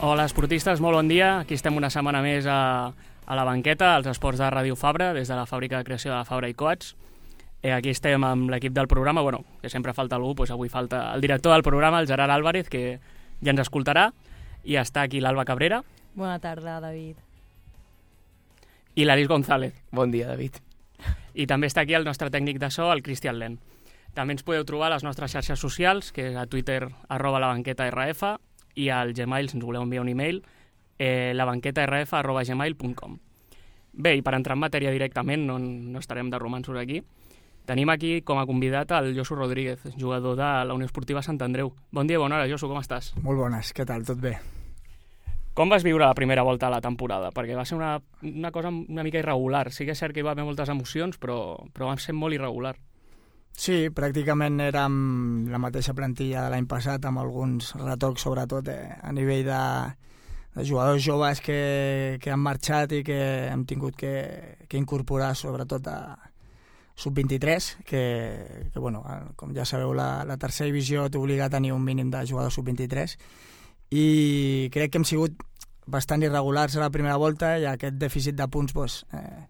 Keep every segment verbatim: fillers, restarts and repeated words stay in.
Hola, esportistes, molt bon dia. Aquí estem una setmana més a, a la banqueta, als esports de Ràdio Fabra, des de la fàbrica de creació de Fabra i Coats. Eh, aquí estem amb l'equip del programa, bueno, que sempre falta algú, doncs avui falta el director del programa, el Gerard Álvarez, que ja ens escoltarà, i està aquí l'Alba Cabrera. Bona tarda, David. I l'Aris González. Bon dia, David. I també està aquí el nostre tècnic de so, el Cristian Len. També ens podeu trobar a les nostres xarxes socials, que és a Twitter, arroba la banqueta R F, i al Gmail, si ens voleu enviar un email, eh, labanquetarf arroba gmail punt com. Bé, i per entrar en matèria directament, no, no estarem de romanços aquí, tenim aquí com a convidat el Josu Rodríguez, jugador de la Unió Esportiva Sant Andreu. Bon dia, bona hora, Josu, com estàs? Molt bones, què tal? Tot bé? Com vas viure la primera volta a la temporada? Perquè va ser una, una cosa una mica irregular. Sí que és cert que hi va haver moltes emocions, però, però va ser molt irregular. Sí, pràcticament érem la mateixa plantilla de l'any passat, amb alguns retocs, sobretot eh, a nivell de, de jugadors joves que, que han marxat i que hem tingut que, que incorporar, sobretot a sub vint-i-tres, que, que bueno, com ja sabeu, la, la tercera divisió t'obliga a tenir un mínim de jugadors sub vint-i-tres, i crec que hem sigut bastant irregulars a la primera volta, i aquest dèficit de punts doncs, eh,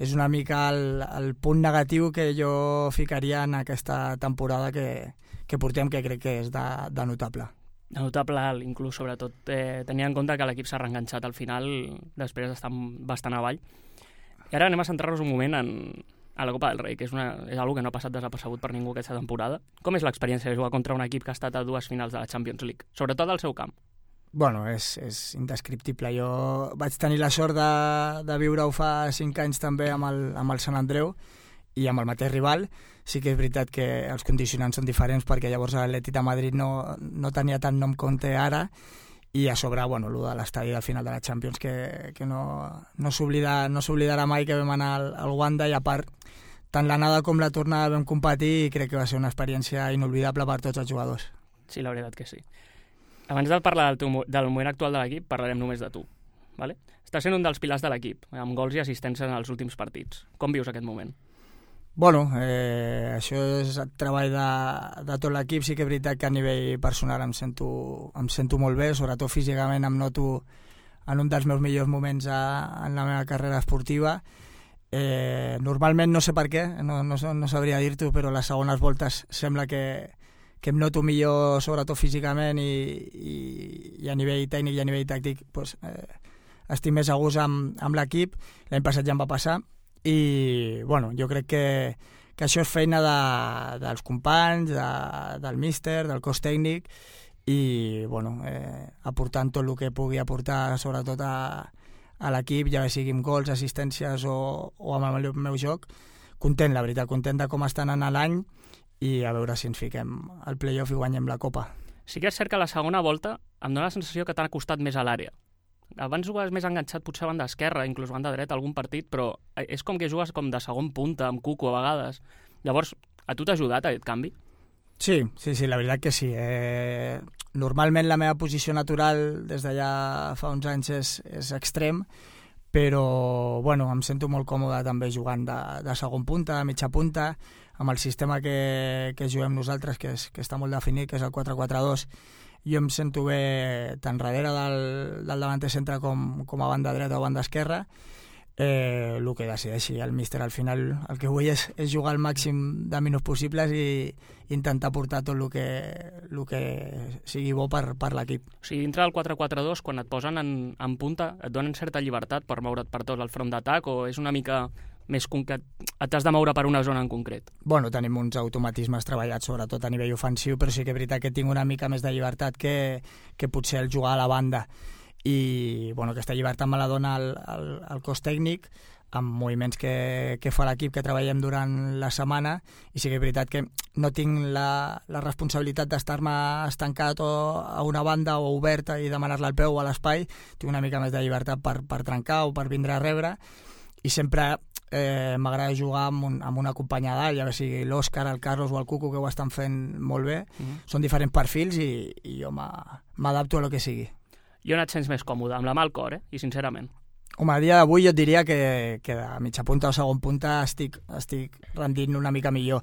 és una mica el, el punt negatiu que jo ficaria en aquesta temporada que, que portem, que crec que és de, de notable. De notable, inclús, sobretot, eh, tenint en compte que l'equip s'ha reenganxat al final, després d'estar bastant avall. I ara anem a centrar-nos un moment en, a la Copa del Rei, que és, una, és una que no ha passat desapercebut per ningú aquesta temporada. Com és l'experiència de jugar contra un equip que ha estat a dues finals de la Champions League, sobretot al seu camp? Bueno, és, és indescriptible. Jo vaig tenir la sort de, de viure-ho fa cinc anys també amb el, amb el Sant Andreu i amb el mateix rival. Sí que és veritat que els condicionants són diferents, perquè llavors l'Atlètic de Madrid no, no tenia tant nom com té ara, i a sobre, bueno, el de l'estadi del final de la Champions, que, que no, no s'oblida, no s'oblidarà mai que vam anar al, al Wanda, i a part, tant l'anada com la tornada vam competir, i crec que va ser una experiència inolvidable per tots els jugadors. Sí, la veritat que sí. Abans de parlar del, teu, del moment actual de l'equip, parlarem només de tu. Vale? Estàs sent un dels pilars de l'equip, amb gols i assistències en els últims partits. Com vius aquest moment? Bueno, eh, això és el treball de, de tot l'equip. Sí que és veritat que a nivell personal em sento, em sento molt bé, sobretot físicament em noto en un dels meus millors moments a, en la meva carrera esportiva. Eh, normalment, no sé per què, no, no, no sabria dir-t'ho, però les segones voltes sembla que que em noto millor, sobretot físicament, i, i, i a nivell tècnic i a nivell tàctic pues, eh, estic més a gust amb, amb l'equip. L'any passat ja em va passar, i bueno, jo crec que, que això és feina de, dels companys, de, del míster, del cos tècnic, i bueno, eh, aportant tot el que pugui aportar, sobretot a, a l'equip, ja sigui amb gols, assistències o, o amb el meu joc. Content, la veritat, content de com estan anant l'any, i a veure si ens fiquem al play-off i guanyem la Copa. Sí que és cert que la segona volta em dóna la sensació que t'ha costat més a l'àrea. Abans jugaves més enganxat, potser a banda esquerra, inclús a banda dreta, algun partit, però és com que jugues com de segon punta, amb Cuco a vegades. Llavors, a tu t'ha ajudat aquest canvi? Sí, sí, sí, la veritat que sí. Eh, normalment la meva posició natural des d'allà fa uns anys és, és extrem, però bueno, em sento molt còmode també jugant de, de segon punta, de mitja punta, amb el sistema que, que juguem nosaltres, que, és, que està molt definit, que és el quatre quatre dos. Jo em sento bé tant darrere del, del davanter centre com, com a banda dreta o banda esquerra. Eh, el que decideixi el míster al final, el que vull és, és jugar al màxim de minuts possibles i intentar portar tot el que, el que sigui bo per, per l'equip. O sigui, dintre del quatre quatre dos, quan et posen en, en punta, et donen certa llibertat per moure't per tot el front d'atac, o és una mica més que t'has de moure per una zona en concret? Bueno, tenim uns automatismes treballats, sobretot a nivell ofensiu, però sí que és veritat que tinc una mica més de llibertat que, que potser el jugar a la banda. I bueno, aquesta llibertat me la dona el, el, el cos tècnic, amb moviments que, que fa l'equip, que treballem durant la setmana, i sí que és veritat que no tinc la, la responsabilitat d'estar-me estancat o a una banda o oberta i demanar-la al peu o a l'espai. Tinc una mica més de llibertat per, per trencar o per vindre a rebre, i sempre eh, m'agrada jugar amb, un, amb una companya d'alt, ja sigui l'Òscar, el Carlos o el Cuco, que ho estan fent molt bé. Mm-hmm. Són diferents perfils, i, i jo m'adapto a lo que sigui. I on et sents més còmode? Amb la mà al cor, eh? I sincerament. Home, a dia d'avui jo et diria que, que de mitja punta o segon punta estic, estic rendint una mica millor,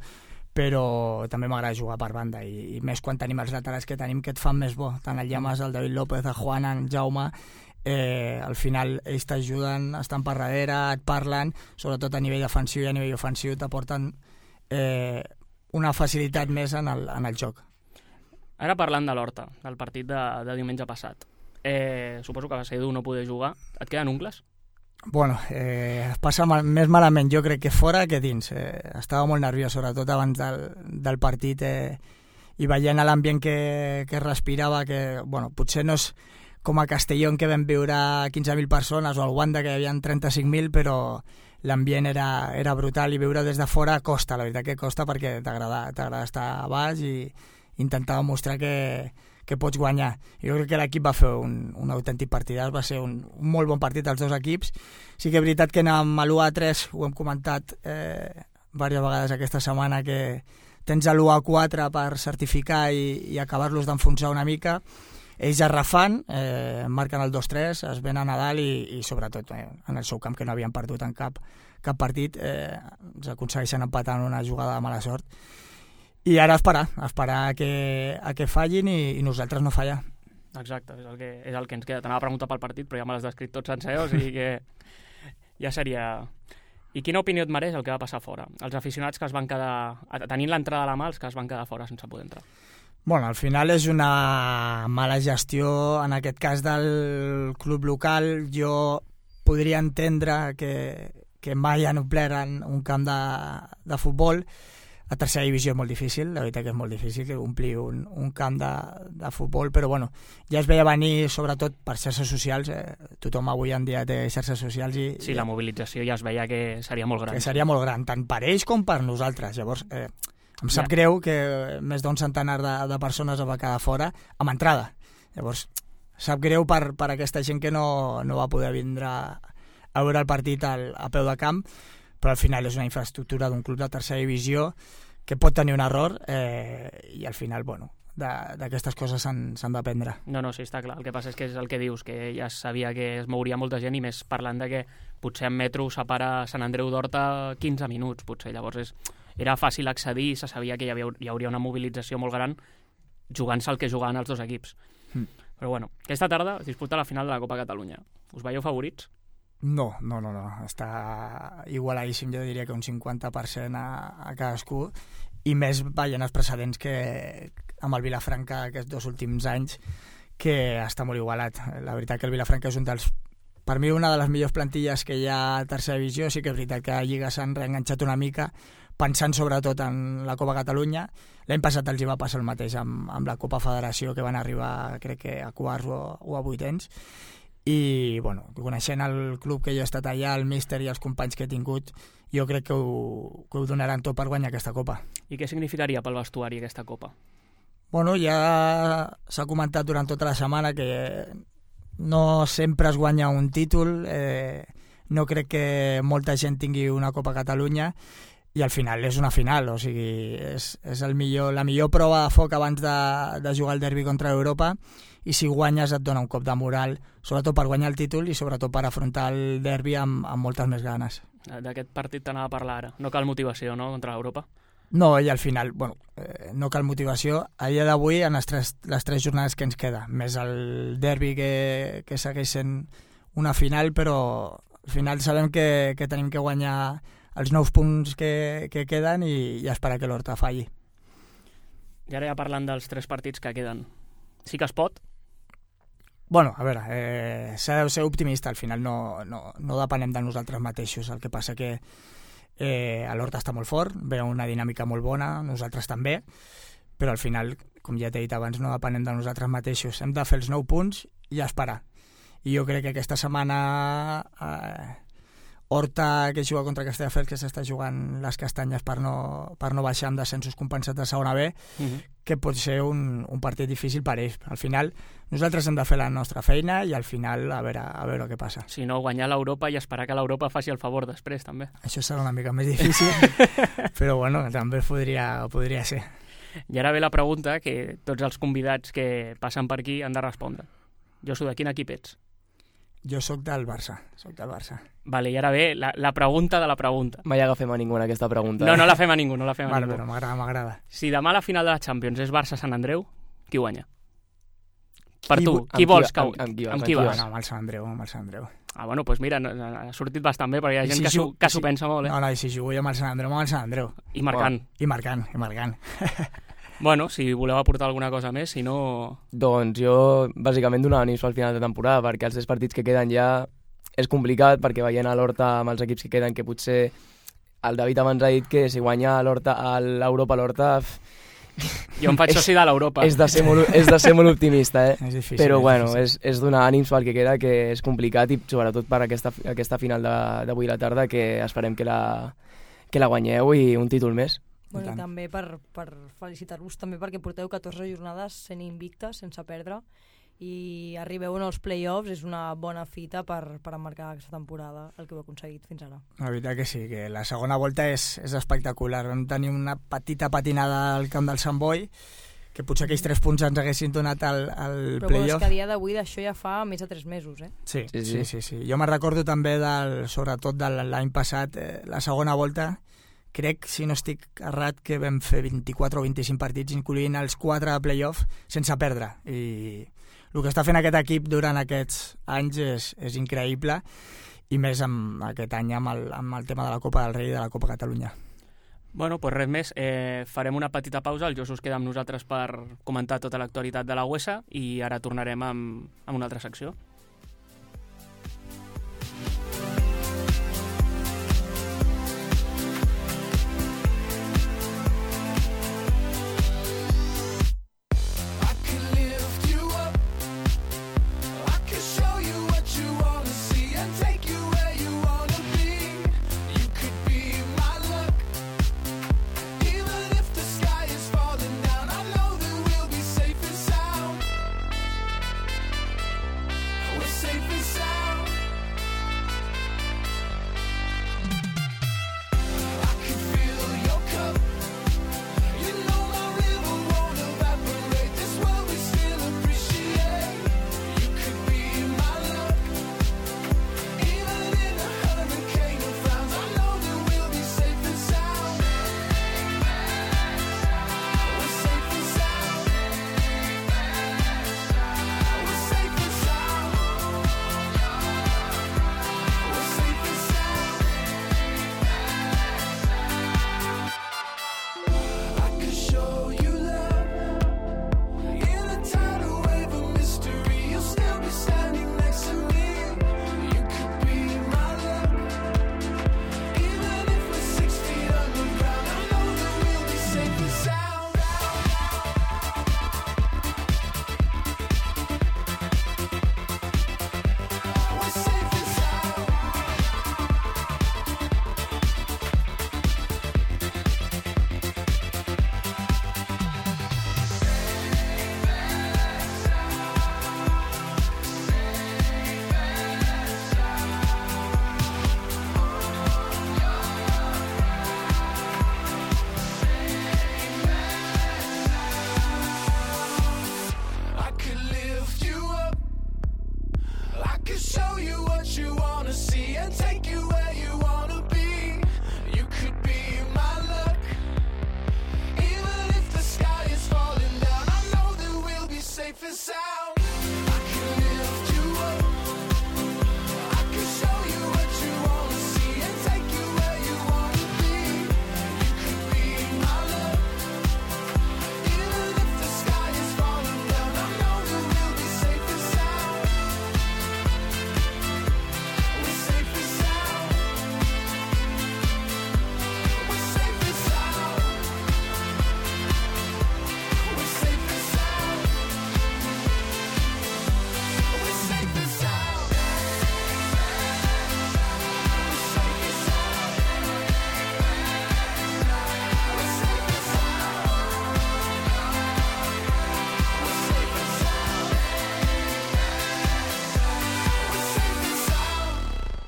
però també m'agrada jugar per banda i, i més quan tenim els laterals que tenim que et fan més bo, tant el Llamas, el David López, el Juan, el Jaume, eh, al final ells t'ajuden, estan per darrere, et parlen, sobretot a nivell defensiu i a nivell ofensiu t'aporten eh, una facilitat més en el, en el joc. Ara parlant de l'Horta, del partit de, de diumenge passat, eh, suposo que va ser dur no poder jugar. Et queden ungles? Bueno, eh, passa mal, més malament jo crec que fora que dins. Eh, estava molt nerviós, sobretot abans del, del partit eh, i veient l'ambient que, que respirava, que bueno, potser no és com a Castelló que vam viure quinze mil persones o al Wanda que hi havia trenta-cinc mil, però l'ambient era, era brutal i viure des de fora costa, la veritat que costa perquè t'agrada t'agrada estar a baix i intentar mostrar que, que pots guanyar. Jo crec que l'equip va fer un, un autèntic partidàs, va ser un, un molt bon partit als dos equips. Sí que és veritat que amb l'u a tres, ho hem comentat eh, diverses vegades aquesta setmana, que tens l'u a quatre per certificar i, i acabar-los d'enfonsar una mica. Ells es refan, eh, marquen el dos tres, es venen a dalt i, i sobretot eh, en el seu camp, que no havien perdut en cap, cap partit, eh, ens aconsegueixen empatar en una jugada de mala sort. I ara esperar, esperar a que, a que fallin i, i nosaltres no fallar. Exacte, és el que, és el que ens queda. T'anava a preguntar pel partit, però ja me l'has descrit tot sencer, o sigui que ja seria... I quina opinió et mereix el que va passar fora? Els aficionats que es van quedar... tenint l'entrada a la mà, els que es van quedar fora sense poder entrar. Bueno, al final és una mala gestió, en aquest cas del club local. Jo podria entendre que, que mai han omplert un camp de, de futbol. A tercera divisió és molt difícil, la veritat que és molt difícil que omplir un, un camp de, de futbol, però bueno, ja es veia venir sobretot per xarxes socials, eh? Tothom avui en dia té xarxes socials i... Sí, la mobilització ja es veia que seria molt gran. Que seria molt gran, tant per ells com per nosaltres. Llavors, eh, em sap ja. greu que més d'un centenar de, de persones va quedar fora amb entrada. Llavors, sap greu per, per aquesta gent que no, no va poder vindre a veure el partit al, a peu de camp, però al final és una infraestructura d'un club de tercera divisió que pot tenir un error eh, i al final, bueno, d'aquestes coses s'han d'aprendre. No, no, sí, està clar. El que passa és que és el que dius, que ja es sabia que es mouria molta gent i més parlant de que potser en metro separa Sant Andreu d'Horta quinze minuts, potser. Llavors és, era fàcil accedir i se sabia que hi, havia, hi hauria una mobilització molt gran jugant-se el que jugaven els dos equips. Mm. Però bueno, aquesta tarda es disputa la final de la Copa Catalunya. Us veieu favorits? No, no, no, no. Està igualadíssim, jo diria que un cinquanta per cent a, a cadascú, i més veient els precedents que amb el Vilafranca aquests dos últims anys, que està molt igualat. La veritat que el Vilafranca és un dels, per mi, una de les millors plantilles que hi ha a tercera divisió. Sí que és veritat que a Lliga s'han reenganxat una mica, pensant sobretot en la Copa Catalunya. L'any passat els hi va passar el mateix amb, amb la Copa Federació, que van arribar, crec que a quarts o, o a vuitens. I, bueno, coneixent el club que jo he estat allà, el míster i els companys que he tingut, jo crec que ho, que ho donaran tot per guanyar aquesta Copa. I què significaria pel vestuari aquesta Copa? Bueno, ja s'ha comentat durant tota la setmana que no sempre es guanya un títol, eh, no crec que molta gent tingui una Copa Catalunya, i al final és una final, o sigui, és, és el millor, la millor prova de foc abans de, de jugar el derbi contra Europa, i si guanyes et dona un cop de moral, sobretot per guanyar el títol i sobretot per afrontar el derbi amb, amb moltes més ganes. D'aquest partit t'anava a parlar ara. No cal motivació, no?, contra l'Europa? No, i al final, bueno, eh, no cal motivació. A dia d'avui, en les tres, les tres jornades que ens queda, més el derbi que, que segueix sent una final, però al final sabem que, que tenim que guanyar els nous punts que, que queden i, i esperar que l'Horta falli. I ara ja parlant dels tres partits que queden, sí que es pot? Bueno, a veure, eh, s'ha de ser optimista, al final no, no, no depenem de nosaltres mateixos, el que passa que eh, l'Horta està molt fort, ve una dinàmica molt bona, nosaltres també, però al final, com ja t'he dit abans, no depenem de nosaltres mateixos, hem de fer els nou punts i esperar. I jo crec que aquesta setmana eh, Horta, que juga contra Castelldefels, que s'està jugant les castanyes per no, per no baixar amb descensos compensats de segona B, uh-huh. que pot ser un, un partit difícil per ells. Al final, nosaltres hem de fer la nostra feina i al final a veure, a veure què passa. Si no, guanyar l'Europa i esperar que l'Europa faci el favor després, també. Això serà una mica més difícil, però bueno, també podria, podria ser. I ara ve la pregunta que tots els convidats que passen per aquí han de respondre. Josu, de quin equip ets? Jo sóc del Barça, sóc del Barça. Vale, i ara ve la, la pregunta de la pregunta. Mai agafem a ningú en aquesta pregunta. No, eh? no la fem a ningú, no la fem a Vale, ningú. però m'agrada, m'agrada. Si demà la final de la Champions és Barça-Sant Andreu, qui guanya? Per Qui tu, gu- qui amb vols qui- que... amb- amb qui vas, amb amb qui qui vas? No, amb el Sant Andreu, amb el Sant Andreu. Ah, bueno, doncs mira, no, no, ha sortit bastant bé, perquè hi ha I gent si que s'ho ju- que i s'ho si- pensa molt, eh? No, no, i si jugo jo amb el Sant Andreu, amb el Sant Andreu. I marcant. I marcant, i marcant. Bueno, si voleu aportar alguna cosa més, si no... Doncs jo, bàsicament, donava ànims pel final de temporada, perquè els tres partits que queden ja és complicat, perquè veient a l'Horta amb els equips que queden, que potser el David abans ha dit que si guanya a l'Horta, a l'Europa, a l'Horta... Jo em faig soci de l'Europa. És de ser molt, és de ser molt optimista, eh? És difícil. Però és bueno, difícil. és, és donar ànims pel que queda, que és complicat, i sobretot per aquesta, aquesta final de- d'avui a la tarda, que esperem que la, que la guanyeu i un títol més. Bueno, I i tant. també per, per felicitar-vos també perquè porteu catorze jornades sent invictes, sense perdre, i arribeu en els play-offs, és una bona fita per, per emmarcar aquesta temporada, el que heu aconseguit fins ara. La veritat que sí, que la segona volta és, és espectacular. Vam tenir una petita patinada al camp del Sant Boi, que potser aquells tres punts ens haguessin donat al, al Però bueno, és play-off. que a dia d'avui d'això ja fa més de tres mesos, eh? Sí, Sí, sí, sí. sí, sí. Jo me'n recordo també, del, sobretot de l'any passat, eh, la segona volta, crec, si no estic errat, que vam fer vint-i-quatre o vint-i-cinc partits, incloent els quatre de play-off, sense perdre. I el que està fent aquest equip durant aquests anys és, és increïble, i més amb aquest any amb el, amb el tema de la Copa del Rei i de la Copa Catalunya. Bueno, doncs res més. Eh, farem una petita pausa. El Josu es queda amb nosaltres per comentar tota l'actualitat de la U E S A i ara tornarem amb, amb una altra secció.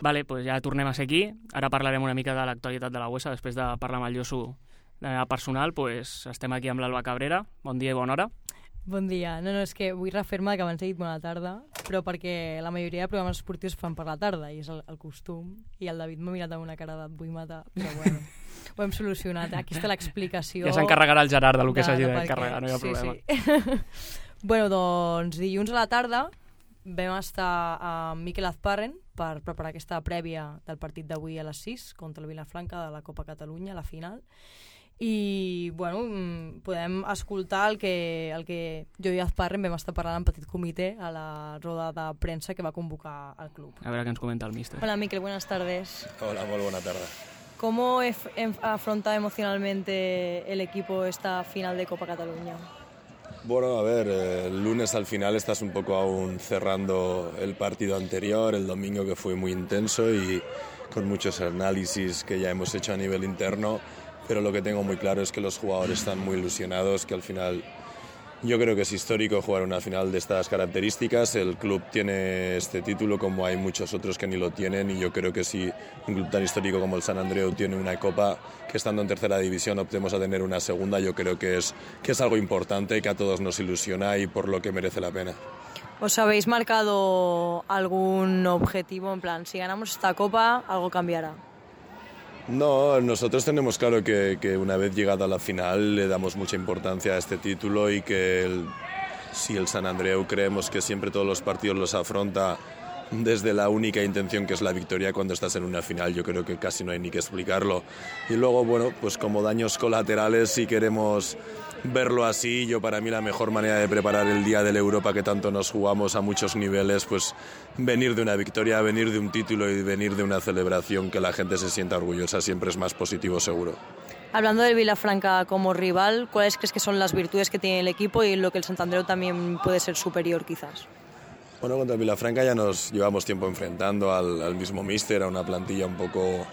Vale, pues ja tornem a ser aquí. Ara parlarem una mica de l'actualitat de la U E S A. Després de parlar amb el Josu de manera personal, pues estem aquí amb l'Alba Cabrera. Bon dia i bona hora. Bon dia. No, no, és que vull refer-me que abans he dit bona tarda, però perquè la majoria de programes esportius fan per la tarda, i és el, el costum, i el David m'ha mirat amb una cara de vull matar, però bueno, ho hem solucionat. Aquí està l'explicació. Ja s'encarregarà el Gerard del que s'hagi de d'encarregar, no hi ha sí, problema. Sí. Bueno, doncs dilluns a la tarda vam estar amb Miquel Azparren per preparar aquesta prèvia del partit d'avui a les sis contra el Vilafranca de la Copa Catalunya, la final. I, bueno, podem escoltar el que, el que jo i Azparren vam estar parlant en petit comitè a la roda de premsa que va convocar el club. A veure què ens comenta el míster. Hola, Miquel, buenas tardes. Hola, muy buena tarde. ¿Cómo afronta emocionalmente el equipo esta final de Copa Cataluña? Bueno, a ver, el lunes al final estás un poco aún cerrando el partido anterior, el domingo que fue muy intenso y con muchos análisis que ya hemos hecho a nivel interno, pero lo que tengo muy claro es que los jugadores están muy ilusionados, que al final yo creo que es histórico jugar una final de estas características. El club tiene este título como hay muchos otros que ni lo tienen y yo creo que si un club tan histórico como el San Andreu tiene una copa, que estando en tercera división optemos a tener una segunda, yo creo que es, que es algo importante, que a todos nos ilusiona y por lo que merece la pena. ¿Os habéis marcado algún objetivo? En plan, si ganamos esta copa, algo cambiará. No, nosotros tenemos claro que, que una vez llegado a la final le damos mucha importancia a este título y que el, si el San Andreu creemos que siempre todos los partidos los afronta desde la única intención que es la victoria cuando estás en una final, yo creo que casi no hay ni que explicarlo. Y luego, bueno, pues como daños colaterales, si queremos verlo así, yo para mí la mejor manera de preparar el día de la Europa que tanto nos jugamos a muchos niveles, pues venir de una victoria, venir de un título y venir de una celebración que la gente se sienta orgullosa, siempre es más positivo seguro. Hablando del Vilafranca como rival, ¿cuáles crees que son las virtudes que tiene el equipo y lo que el Sant Andreu también puede ser superior quizás? Bueno, contra el Vilafranca ya nos llevamos tiempo enfrentando al, al mismo míster, a una plantilla un poco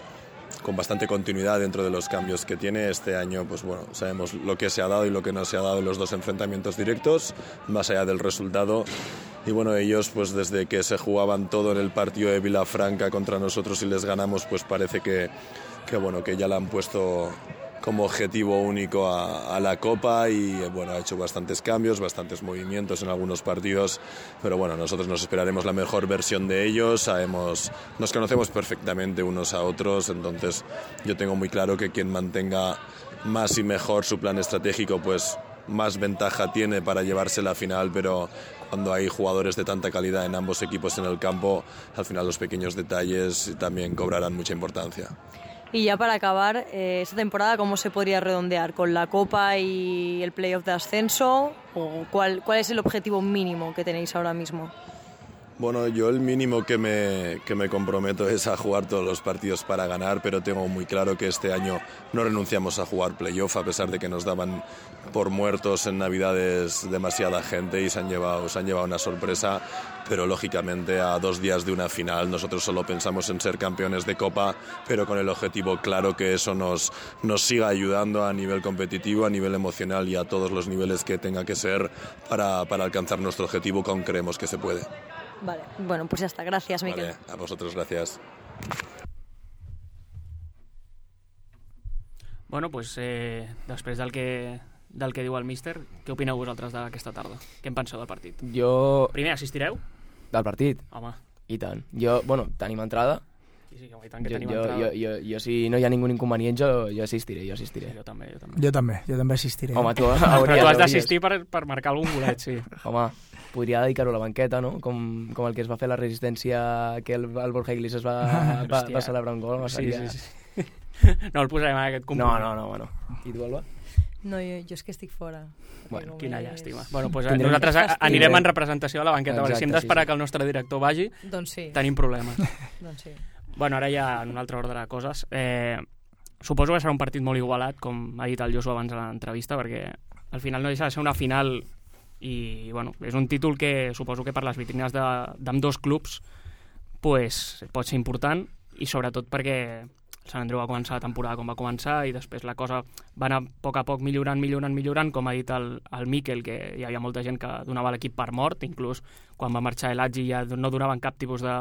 con bastante continuidad dentro de los cambios que tiene. Este año, pues bueno, sabemos lo que se ha dado y lo que no se ha dado en los dos enfrentamientos directos, más allá del resultado. Y bueno, ellos, pues desde que se jugaban todo en el partido de Vilafranca contra nosotros y les ganamos, pues parece que, que bueno, que ya la han puesto como objetivo único a, a la Copa y bueno, ha hecho bastantes cambios, bastantes movimientos en algunos partidos, pero bueno, nosotros nos esperaremos la mejor versión de ellos, sabemos, nos conocemos perfectamente unos a otros, entonces yo tengo muy claro que quien mantenga más y mejor su plan estratégico, pues más ventaja tiene para llevarse la final, pero cuando hay jugadores de tanta calidad en ambos equipos en el campo, al final los pequeños detalles también cobrarán mucha importancia. Y ya para acabar, eh, esta temporada, ¿cómo se podría redondear? ¿Con la Copa y el playoff de ascenso? ¿O cuál, cuál es el objetivo mínimo que tenéis ahora mismo? Bueno, yo el mínimo que me, que me comprometo es a jugar todos los partidos para ganar, pero tengo muy claro que este año no renunciamos a jugar playoff, a pesar de que nos daban por muertos en Navidades demasiada gente y se han llevado, se han llevado una sorpresa, pero lógicamente a dos días de una final nosotros solo pensamos en ser campeones de Copa, pero con el objetivo claro que eso nos, nos siga ayudando a nivel competitivo, a nivel emocional y a todos los niveles que tenga que ser para, para alcanzar nuestro objetivo que aún creemos que se puede. Vale, bueno, pues ya está. Gracias, Miquel. Vale, a vosotros, gracias. Bueno, pues eh, després del que, del que diu el míster, què opineu vosaltres d'aquesta tarda? Què en penseu del partit? Jo... Primer, assistireu? Del partit? Home. I tant. Jo, bueno, tenim entrada. Sí, sí, i tant que Jo, tenim jo, entrada. jo, jo, jo, si no hi ha ningú inconvenient, jo, jo assistiré, jo assistiré. Sí, jo també, jo també. Jo també, jo també assistiré. Home, tu Però hauries... tu has hauries. d'assistir per, per marcar algun golet, sí. Home, podria dedicar-ho a la banqueta, no? Com, com el que es va fer a la resistència que el, el Borja Iglesias va, va, va celebrar un gol. Sí, seria... sí, sí. No el posarem en aquest No, compromís. no, no, bueno. I tu, Alba? No, jo, jo és que estic fora. Bueno, Quina llàstima. Bueno, pues Tindrem- nosaltres a- Fàstic. anirem en representació a la banqueta, perquè si hem Exacte, d'esperar sí, sí. que el nostre director vagi, Doncs sí, tenim problemes. doncs sí. Bueno, ara ja en un altre ordre de coses. Eh, suposo que serà un partit molt igualat, com ha dit el Josu abans a l'entrevista, perquè al final no deixa de ser una final i bueno, és un títol que suposo que per les vitrines d'ambdós clubs pues, pot ser important i sobretot perquè el Sant Andreu va començar la temporada com va començar i després la cosa va anar a poc a poc millorant, millorant, millorant, com ha dit el, el Miquel, que hi havia molta gent que donava l'equip per mort, inclús quan va marxar Elhadji ja no donaven cap tipus de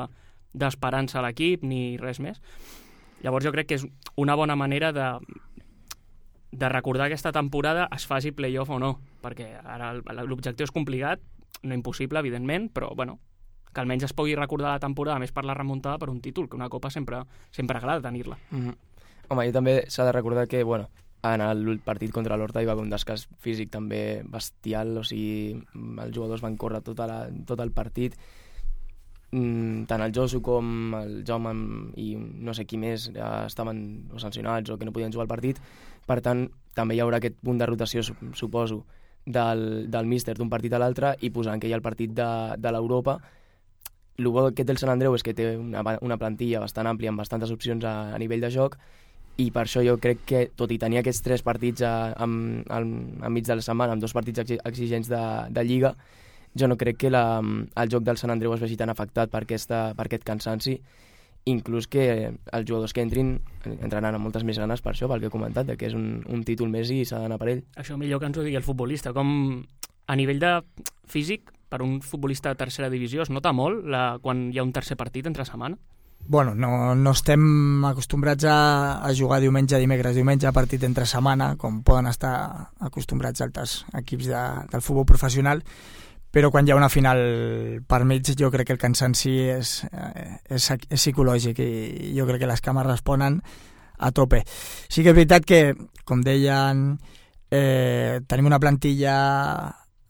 d'esperança a l'equip ni res més. Llavors jo crec que és una bona manera de, de recordar aquesta temporada, es faci playoff o no, perquè ara l'objectiu és complicat, no impossible, evidentment, però bueno, que almenys es pugui recordar la temporada més per la remuntada per un títol, que una copa sempre, sempre agrada tenir-la. Mm-hmm. Home, i també s'ha de recordar que, bueno, en el partit contra l'Horta hi va haver un descàs físic també bestial, o sigui, els jugadors van córrer tot, la, tot el partit, mm, tant el Josu com el Jaume i no sé qui més ja estaven o sancionats o que no podien jugar al partit, per tant, també hi haurà aquest punt de rotació, suposo, del, del míster d'un partit a l'altre i posant que hi ha el partit de, de l'Europa. El bo que té el Sant Andreu és que té una, una plantilla bastant àmplia amb bastantes opcions a, a nivell de joc, i per això jo crec que, tot i tenir aquests tres partits a, a, a, a mig de la setmana, amb dos partits exigents de, de Lliga, jo no crec que la, el joc del Sant Andreu es vegi tan afectat per, aquesta, per aquest cansanci, inclús que els jugadors que entrin entraran amb moltes més ganes per això, pel que he comentat, que és un, un títol més i s'ha d'anar per ell. Això millor que ens ho digui el futbolista. Com a nivell de físic, per un futbolista de tercera divisió, es nota molt la, quan hi ha un tercer partit entre setmana? Bueno, no, no estem acostumbrats a, a jugar diumenge, dimecres, diumenge, partit entre setmana, com poden estar acostumbrats altres equips de, del futbol professional, però quan hi ha una final per mig jo crec que el cansanci és, és, és psicològic i jo crec que les cames responen a tope. Sí que és veritat que, com deien, eh, tenim una plantilla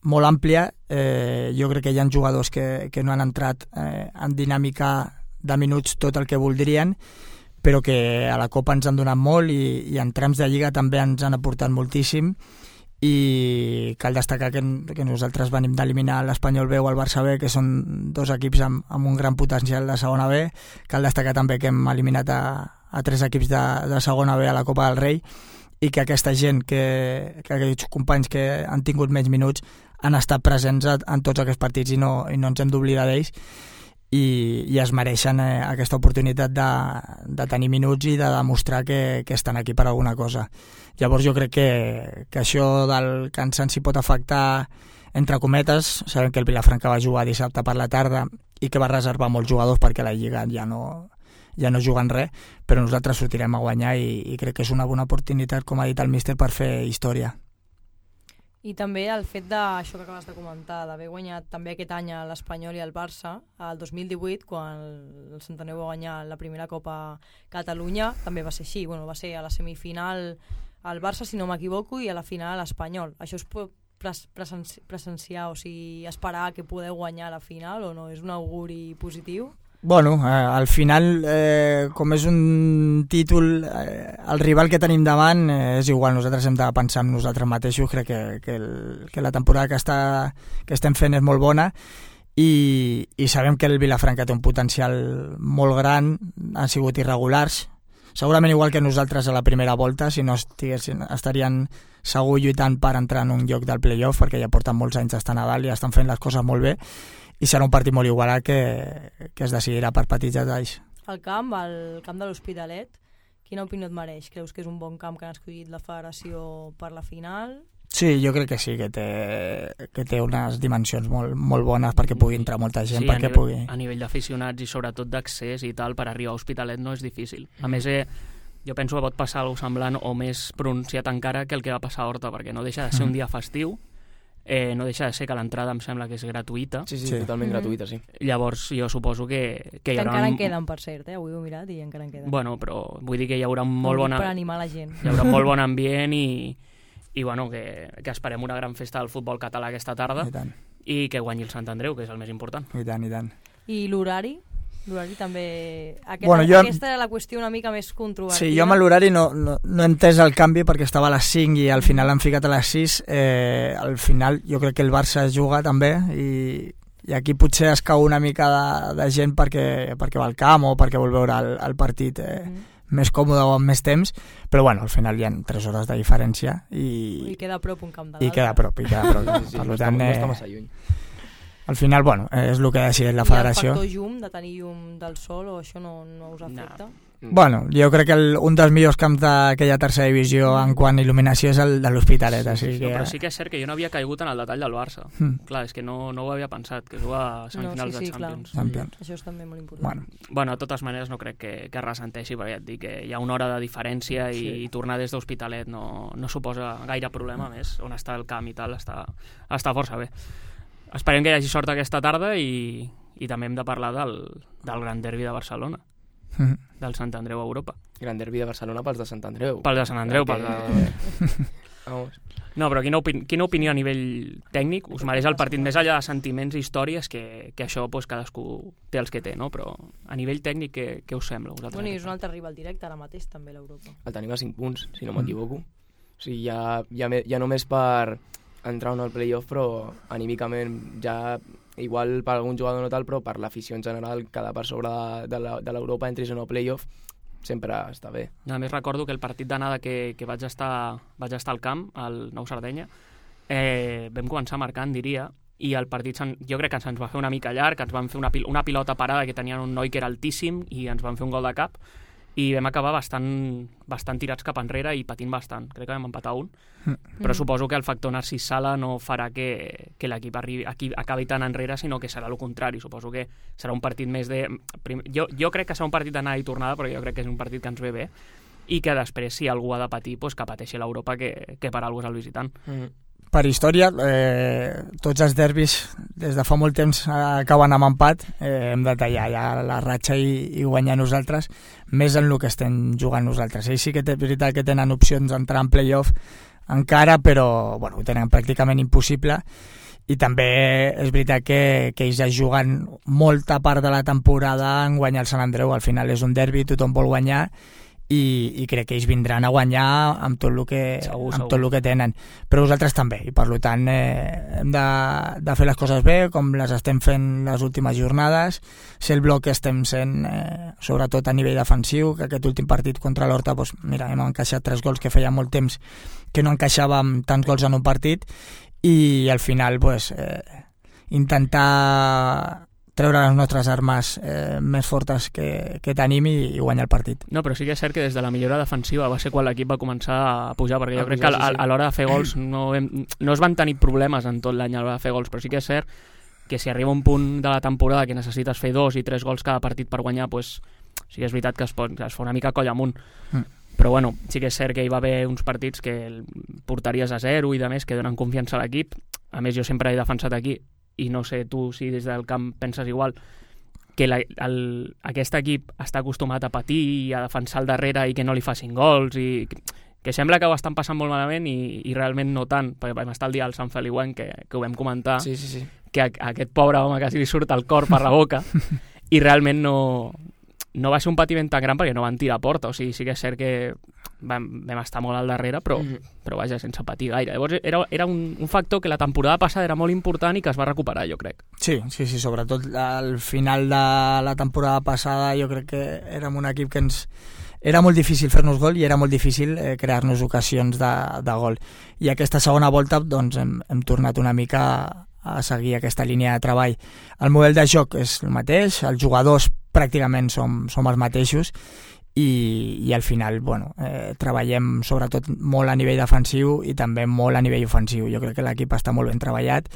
molt àmplia, eh, jo crec que hi ha jugadors que, que no han entrat eh, en dinàmica de minuts tot el que voldrien, però que a la Copa ens han donat molt i, i en trams de Lliga també ens han aportat moltíssim, i cal destacar que, que nosaltres venim d'eliminar l'Espanyol B o el Barça B, que són dos equips amb, amb un gran potencial de segona B. Cal destacar també que hem eliminat a, a tres equips de, de segona B a la Copa del Rei, i que aquesta gent, que, que aquests companys que han tingut menys minuts han estat presents en tots aquests partits i no, i no ens hem d'oblidar d'ells, i, i es mereixen eh, aquesta oportunitat de, de tenir minuts i de demostrar que, que estan aquí per alguna cosa. Llavors jo crec que, que això del cansanci pot afectar, entre cometes. Sabem que el Vilafranca va jugar dissabte per la tarda i que va reservar molts jugadors perquè la Lliga ja no, ja no juguen res, però nosaltres sortirem a guanyar i, i crec que és una bona oportunitat, com ha dit el míster, per fer història. I també el fet d'això que acabes de comentar, d'haver guanyat també aquest any a l'Espanyol i al Barça, el dos mil divuit, quan el Sant Andreu va guanyar la primera Copa Catalunya, també va ser així. Bueno, va ser a la semifinal al Barça, si no m'equivoco, i a la final a l'Espanyol. Això es pot presenci presenciar, o sigui, esperar que podeu guanyar a la final, o no? És un auguri positiu? Bueno, eh, al final, eh, com és un títol, eh, el rival que tenim davant eh, és igual, nosaltres hem de pensar en nosaltres mateixos. Crec que, que, el, que la temporada que, està, que estem fent és molt bona, i, i sabem que el Vilafranca té un potencial molt gran, han sigut irregulars, segurament igual que nosaltres a la primera volta, si no estiguessin, estarien segur lluitant per entrar en un lloc del play-off, perquè ja porten molts anys d'estar a dalt i estan fent les coses molt bé, i serà un partit molt igualat que, que es decidirà per petits detalls. El camp, el camp de l'Hospitalet, quina opinió et mereix? Creus que és un bon camp que han escollit la federació per la final? Sí, jo crec que sí, que té, que té unes dimensions molt, molt bones perquè pugui entrar molta gent. Sí, perquè a nivell, pugui... a nivell d'aficionats i sobretot d'accés i tal, per arribar a Hospitalet no és difícil. A més, eh, jo penso que pot passar alguna cosa semblant o més pronunciat encara que el que va passar a Horta, perquè no deixa de ser un dia festiu. Eh, no deixa de ser que l'entrada em sembla que és gratuïta. Sí, sí, Sí. totalment Mhm. gratuïta, sí. Llavors jo suposo que, que Que hi haurà... encara un- en queden, per cert, eh? Avui ho he mirat i encara en queden. Bueno, però vull dir que hi haurà un molt Ho dic bona... Per animar la gent. Hi haurà un molt bon ambient i, i bueno, que, que esperem una gran festa del futbol català aquesta tarda I tant, i que guanyi el Sant Andreu, que és el més important. i tant, i tant. I l'horari? L'horari també... Aquest, Bueno, jo- Aquesta era la qüestió una mica més controvertida. Sí, jo amb l'horari no, no, no he entès el canvi perquè estava a les cinc i al final l'han ficat a les sis. Eh, al final jo crec que el Barça es juga també i, i aquí potser es cau una mica de, de gent perquè, perquè va al camp o perquè vol veure el, el partit eh, Mm. més còmode o amb més temps, però bueno, al final hi ha tres hores de diferència I i, queda a prop un camp de i l'altre. queda a prop, i queda a prop. Sí, sí, Per no, tant, està, no eh, està massa lluny. al final, bueno, és el que ha decidit la I el federació. factor llum, de tenir llum del sol, o això no, no us afecta? Bueno, jo crec que el, un dels millors camps d'aquella tercera divisió en quant a il·luminació és el de l'Hospitalet. Sí, sí, que... però sí que és cert que jo no havia caigut en el detall del Barça. Mm. Clar, és que no, no ho havia pensat, que juga a semifinals no, sí, sí, de Champions. Champions. Això és també molt important. Bueno, bueno de totes maneres no crec que, que ressenteixi, perquè ja et dic que hi ha una hora de diferència i, sí. i tornar des d'Hospitalet no, no suposa gaire problema, mm. més on està el camp i tal, està, està força bé. Esperem que hi hagi sort aquesta tarda i, i també hem de parlar del, del Gran Derbi de Barcelona. Mm. Del Sant Andreu a Europa. Gran derbi de Barcelona pels de Sant Andreu. Pels de Sant Andreu, pels de... Vamos. No, però quina, opini quina opinió a nivell tècnic us mereix el partit, més allà de sentiments i històries, que, que això pues, cadascú té els que té, no? Però a nivell tècnic què, què us sembla? Bueno, i és un altre rival directe ara mateix també l'Europa. El tenim a cinc punts, si no m'equivoco. O sigui, ja, ja, ja només per entrar en el playoff, però anímicament ja... igual per algun jugador no tal, però per l'afició en general, quedar per sobre de, de l'Europa, entris en el playoff, sempre està bé. A més recordo que el partit d'anada que, que vaig, estar, vaig estar al camp, al Nou Sardenya, eh, vam començar marcant, diria, i el partit jo crec que se'ns va fer una mica llarg, ens van fer una, pil una pilota parada que tenien un noi que era altíssim i ens van fer un gol de cap, i vam acabar bastant, bastant tirats cap enrere i patint bastant. Crec que vam empatar un. Mm. Però suposo que el factor Narcís Sala no farà que, que l'equip acabi tan enrere, sinó que serà el contrari. Suposo que serà un partit més de... Jo, jo crec que serà un partit d'anada i tornada, perquè jo crec que és un partit que ens ve bé, i que després, si algú ha de patir, pues, que pateixi l'Europa, que, que per alguna cosa és el visitant. Mm. Per història, eh, tots els derbis des de fa molt temps acaben amb empat, eh, hem de tallar ja la ratxa i, i guanyar nosaltres, més en el que estem jugant nosaltres. Ells sí que és veritat que tenen opcions d'entrar en playoff encara, però bueno, ho tenen pràcticament impossible, i també és veritat que, que ells ja juguen molta part de la temporada en guanyar el Sant Andreu. Al final és un derbi, tothom vol guanyar, I, i crec que ells vindran a guanyar amb tot el que, segur, amb segur. tot el que tenen, però vosaltres també, i per tant eh, hem de, de fer les coses bé com les estem fent les últimes jornades, ser el bloc que estem sent eh, sobretot a nivell defensiu, que aquest últim partit contra l'Horta, doncs, mira, hem encaixat tres gols que feia molt temps que no encaixàvem tants gols en un partit, i al final doncs, eh, intentar treure les nostres armes eh, més fortes que, que tenim i, i guanyar el partit. No, però sí que és cert que des de la millora defensiva va ser quan l'equip va començar a pujar, perquè jo crec que a, a, a l'hora de fer gols no, hem, no es van tenir problemes en tot l'any a l'hora de fer gols, però sí que és cert que si arriba un punt de la temporada que necessites fer dos i tres gols cada partit per guanyar, pues, sí que és veritat que es, pot, es fa una mica coll amunt. Mm. Però bueno, sí que és cert que hi va haver uns partits que portaries a zero i de més que donen confiança a l'equip. A més, jo sempre he defensat aquí, i no sé tu si des del camp penses igual, que la, el, aquest equip està acostumat a patir i a defensar al darrere i que no li facin gols, i que sembla que ho estan passant molt malament i, i realment no tant, perquè vam estar el dia al Sant Feliuenc, que, que ho vam comentar, sí, sí, sí. que a, a aquest pobre home quasi li surt el cor per la boca, i realment no, no va ser un patiment tan gran perquè no van tirar a porta, o sigui, sí que és cert que vam, vam estar molt al darrere, però, mm. però vaja, sense patir gaire. Llavors era, era un, un factor que la temporada passada era molt important i que es va recuperar, jo crec. Sí, sí, sí, sobretot al final de la temporada passada jo crec que érem un equip que ens... Era molt difícil fer-nos gol i era molt difícil eh, crear-nos ocasions de, de gol. I aquesta segona volta doncs, hem, hem tornat una mica a seguir aquesta línia de treball. El model de joc és el mateix, els jugadors pràcticament som, som els mateixos, i, i al final bueno, eh, treballem sobretot molt a nivell defensiu i també molt a nivell ofensiu. Jo crec que l'equip està molt ben treballat.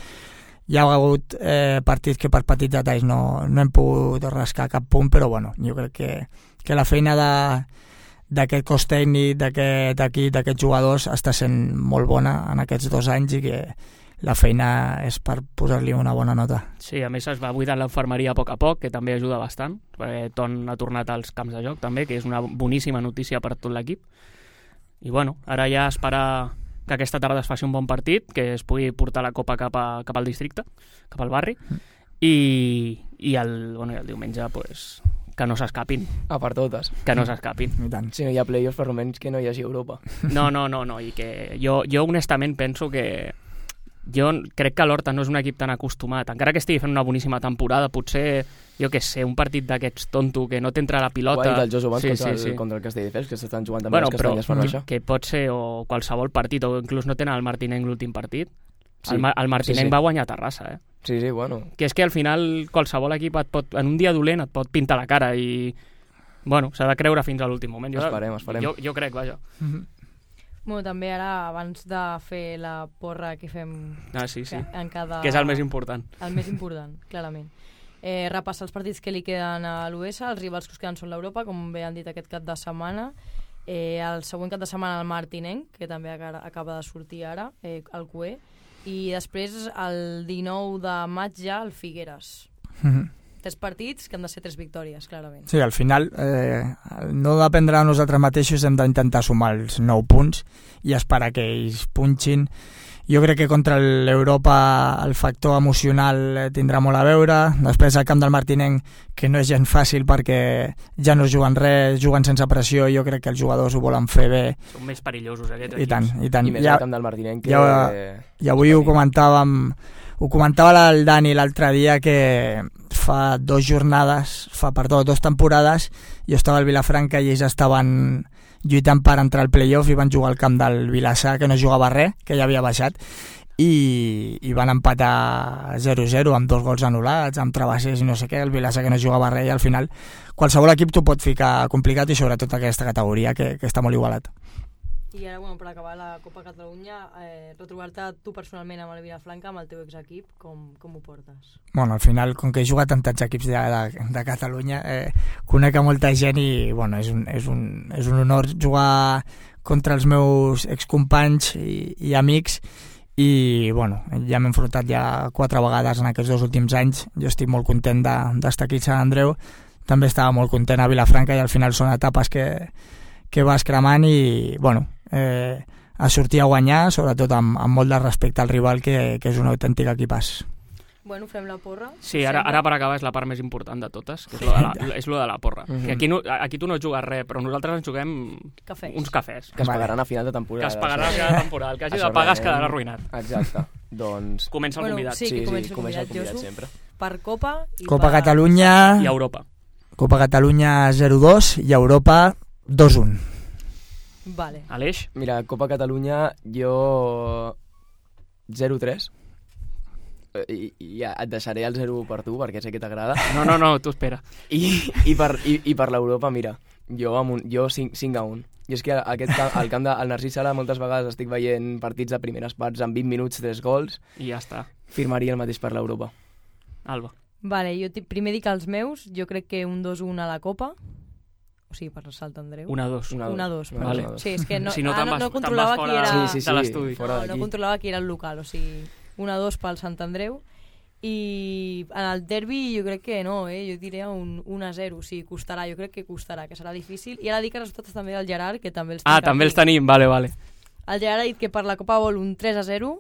Hi ha hagut eh, partits que per petits detalls no, no hem pogut rascar cap punt, però bueno, jo crec que, que la feina d'aquest cos tècnic, d'aquest equip, d'aquests jugadors està sent molt bona en aquests dos anys i que la feina és per posar-li una bona nota. Sí, a més es va buidant l'infermeria a poc a poc, que també ajuda bastant, perquè Ton ha tornat als camps de joc també, que és una boníssima notícia per tot l'equip. I bueno, ara ja esperar que aquesta tarda es faci un bon partit, que es pugui portar la copa cap, a, cap al districte, cap al barri, mm. i, i, el, bueno, i el diumenge pues, que no s'escapin. A per totes. Que no s'escapin. Si no hi ha playoffs, per almenys que no hi hagi Europa. No, no, no, no, i que jo, jo honestament penso que jo crec que l'Horta no és un equip tan acostumat, encara que estigui fent una boníssima temporada, potser, jo què sé, un partit d'aquests tonto que no t'entra la pilota... Guai del Josu Bans sí, contra, sí, sí. contra el Castelldefels, que s'estan jugant també bueno, les castanyes per baixar. Que pot ser o qualsevol partit, o inclús no tenen el Martinenc l'últim partit. Sí, el, el Martinenc sí, sí. va guanyar a Terrassa, eh? Sí, sí, bueno. Que és que al final qualsevol equip et pot, en un dia dolent et pot pintar la cara i, Bueno, s'ha de creure fins a l'últim moment. Jo, esperem, esperem. Jo, jo crec, vaja. Mm-hmm. Bueno, també ara, abans de fer la porra que fem Ah, sí, sí. en cada... Que és el més important. El més important, clarament. Eh, repassar els partits que li queden a l'U S, els rivals que us queden són l'Europa, com bé han dit aquest cap de setmana. Eh, el següent cap de setmana el Martinenc, que també acaba de sortir ara, eh, el Q E. I després, el dinou de maig ja, el Figueres. Mm-hmm. Tres partits que han de ser tres victòries, clarament. Sí, al final, eh, no dependrà de nosaltres mateixos, hem d'intentar sumar els nou punts i esperar que ells punxin. Jo crec que contra l'Europa el factor emocional tindrà molt a veure. Després al camp del Martinenc, que no és gens fàcil perquè ja no juguen res, juguen sense pressió, jo crec que els jugadors ho volen fer bé. Són més perillosos aquests equips. I tant, i tant. I més ja, al camp del Martinenc. Que... Ja, ja avui ho comentàvem, ho comentava el Dani l'altre dia, que fa dos jornades, fa perdó, dos temporades, jo estava al Vilafranca i ells estaven lluitant per entrar al playoff i van jugar al camp del Vilassar, que no jugava res, que ja havia baixat, i, i van empatar zero zero amb dos gols anul·lats, amb travessers i no sé què, el Vilassar que no jugava res, i al final qualsevol equip t'ho pot ficar complicat, i sobretot aquesta categoria que, que està molt igualat. I ara, bueno, per acabar la Copa Catalunya, eh, retrobar-te tu personalment amb el Vilafranca, amb el teu exequip, com, com ho portes? Bueno, al final, com que he jugat amb tants equips de, de, de Catalunya, eh, conec a molta gent i bueno, és, un, és, un, és un honor jugar contra els meus excompanys i, i amics, i bueno, ja m'he enfrontat ja quatre vegades en aquests dos últims anys. Jo estic molt content d'estar aquí a Sant Andreu, també estava molt content a Vilafranca, i al final són etapes que, que vas cremant i bueno, eh, a sortir a guanyar, sobretot amb, amb molt de respecte al rival, que, que és un autèntic equipàs. Bueno, fem la porra. Sí, ara, ara per acabar és la part més important de totes, que és lo de la, és lo de la porra. Mm-hmm. Que aquí, no, aquí tu no jugues res, però nosaltres ens juguem cafès. uns cafès. Que es pagaran a final de temporada. Que es pagaran a final de temporada. El que hagi de pagar es quedarà arruïnat. Exacte. Doncs... Comença el bueno, convidat. Sí, que sí, comença sí, el convidat, comença el convidat Josu, sempre. Per Copa i Copa per... Catalunya... I Europa. Copa Catalunya zero dos i Europa dos un. Vale. Aleix? Mira, Copa Catalunya jo zero tres. I, i ja et deixaré el zero per tu, perquè sé que t'agrada. No, no, no, tu espera. I, i per, i, i per l'Europa, mira, jo, amb un, jo cinc a un. I és que aquest camp, al camp del Narcís Sala moltes vegades estic veient partits de primeres parts amb vint minuts, tres gols. I ja està. Firmaria el mateix per l'Europa. Alba. Vale, jo primer dic els meus, jo crec que un dos un a la Copa. O sigui, per Sant Andreu. Una dos. Una, una dos, una vale. dos. Sí, és que no, si no, ah, no, no controlava qui era... Sí, sí, sí, de l'estudi. No, no controlava qui era el local, o sigui, una dos pel Sant Andreu. I en el derbi jo crec que no, eh? Jo diria un un a zero, o sigui, costarà, jo crec que costarà, que serà difícil. I ara dic els resultats també del Gerard, que també els Ah, també els tenim, vale, vale. El Gerard ha dit que per la Copa vol un tres a zero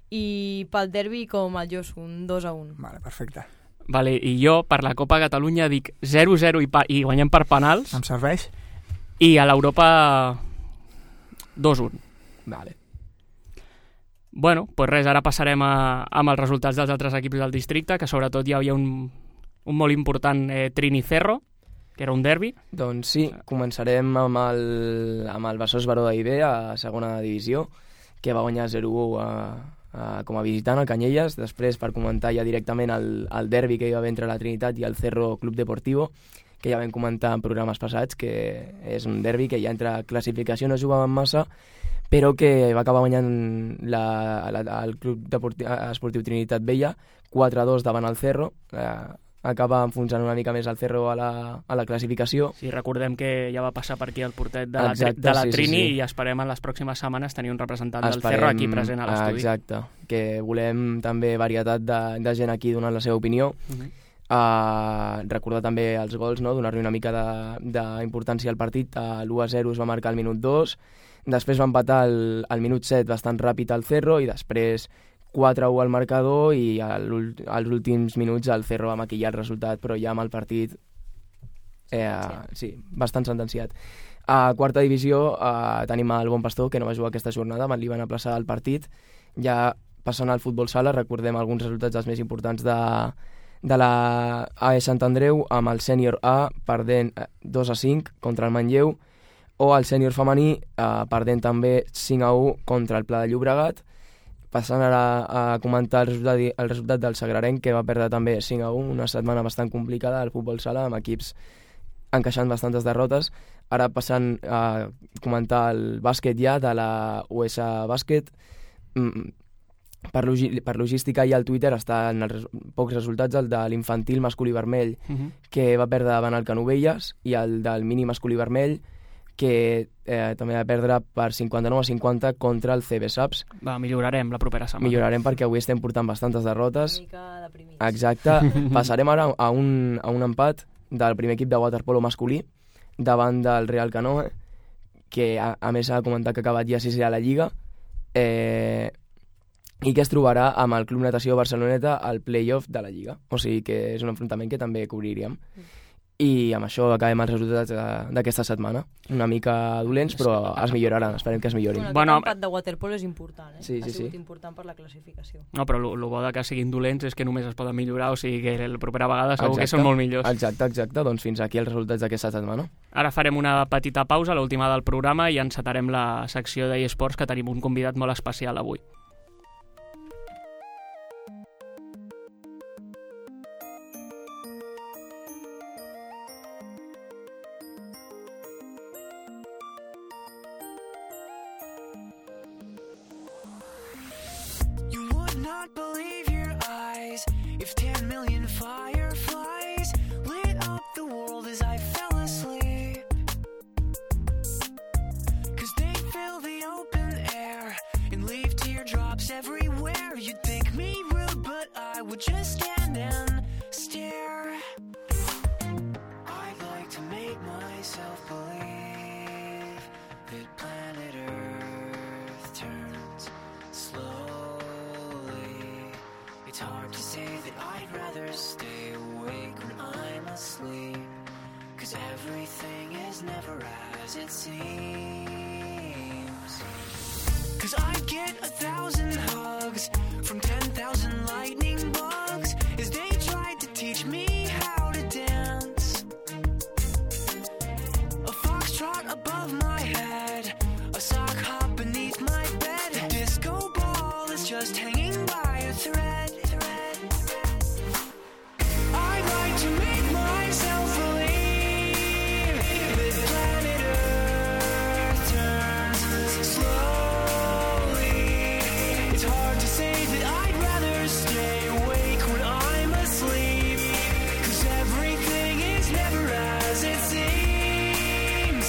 i pel derbi com el Josu, un dos a un. Vale, perfecte. Vale, i jo per la Copa Catalunya dic zero zero i, pa i guanyem per penals. Em serveix? I a l'Europa dos un. Vale. Bueno, doncs res, ara passarem a, amb els resultats dels altres equips del districte, que sobretot hi havia un, un molt important eh, Trini-Cerro, que era un derbi. Doncs sí, començarem amb el, amb el Besòs Baró d'Aiber a segona divisió, que va guanyar zero u a, a, com a visitant al Canyelles. Després, per comentar ja directament el, el derbi que hi va haver entre la Trinitat i el Cerro Club Deportivo, que ja vam comentar en programes passats, que és un derbi que ja entre classificació no jugaven massa, però que va acabar guanyant la, la, el Club Deportiu, Esportiu Trinitat Vella quatre a dos davant el Cerro. Eh, acaba enfonsant una mica més el Cerro a la, a la classificació. Sí, recordem que ja va passar per aquí el portet de la, exacte, de la sí, Trini, sí, sí. i esperem en les pròximes setmanes tenir un representant esperem, del Cerro aquí present a l'estudi. Exacte, que volem també varietat de, de gent aquí donant la seva opinió. Uh-huh. Uh, recordar també els gols, no? Donar-li una mica d'importància al partit. Uh, l'u a zero es va marcar al minut dos, després va empatar al, al minut set bastant ràpid al Cerro, i després quatre a u al marcador, i als últims minuts el Cerro va maquillar el resultat, però ja amb el partit eh, sí, bastant sentenciat. A quarta divisió eh, tenim el Bon Pastor, que no va jugar aquesta jornada, li van aplaçar el partit. Ja passant al futbol sala, recordem alguns resultats dels més importants de, de la A E Sant Andreu, amb el sènior A perdent dos a cinc contra el Manlleu, o el sènior femení eh, perdent també cinc a u contra el Pla de Llobregat. Passant ara a comentar el resultat, el resultat del Sagrarenc, que va perdre també cinc a u, una setmana bastant complicada al futbol sala, amb equips encaixant bastantes derrotes. Ara passant a comentar el bàsquet ja de la U S A Bàsquet. Per, logi per logística i al Twitter estan els res pocs resultats, el de l'infantil masculí vermell, uh-huh. que va perdre davant el Canovelles, i el del mini masculí vermell, que eh, també va perdre per cinquanta-nou a cinquanta contra el C B Saps. Va, millorarem la propera setmana. Millorarem perquè avui estem portant bastantes derrotes. Una mica deprimits. Exacte. Passarem ara a un, a un empat del primer equip de waterpolo masculí davant del Real Canoe, que a, a més ha comentat que ha acabat ja sisè a la Lliga, eh, i que es trobarà amb el Club Natació Barceloneta al play-off de la Lliga. O sigui que és un enfrontament que també cobriríem. Mm. I amb això acabem els resultats d'aquesta setmana. Una mica dolents, però es milloraran, esperem que es millorin. Bueno, bueno, aquest empat de waterpolo és important, eh? Sí, sí, ha sigut sí. important per la classificació. No, però el bo de que siguin dolents és que només es poden millorar, o sigui que la propera vegada segur exacte, que són molt millors. Exacte, exacte. Doncs fins aquí els resultats d'aquesta setmana. Ara farem una petita pausa, l'última del programa, i encetarem la secció d'eSports, que tenim un convidat molt especial avui. Not believe your eyes if ten million fireflies lit up the world as I fell asleep. Cause they fill the open air and leave teardrops everywhere. You'd think me rude, but I would just stand and stare. I'd like to make myself believe that planet Earth turns slow. It's hard to say that I'd rather stay awake when I'm asleep, cause everything is never as it seems. Cause I'd get a thousand hugs from ten thousand lightning bugs as they tried to teach me how to dance. A foxtrot above my head, a sock hop beneath my bed, a disco ball is just hanging by a thread. To make myself believe that planet Earth turns slowly. It's hard to say that I'd rather stay awake when I'm asleep, cause everything is never as it seems.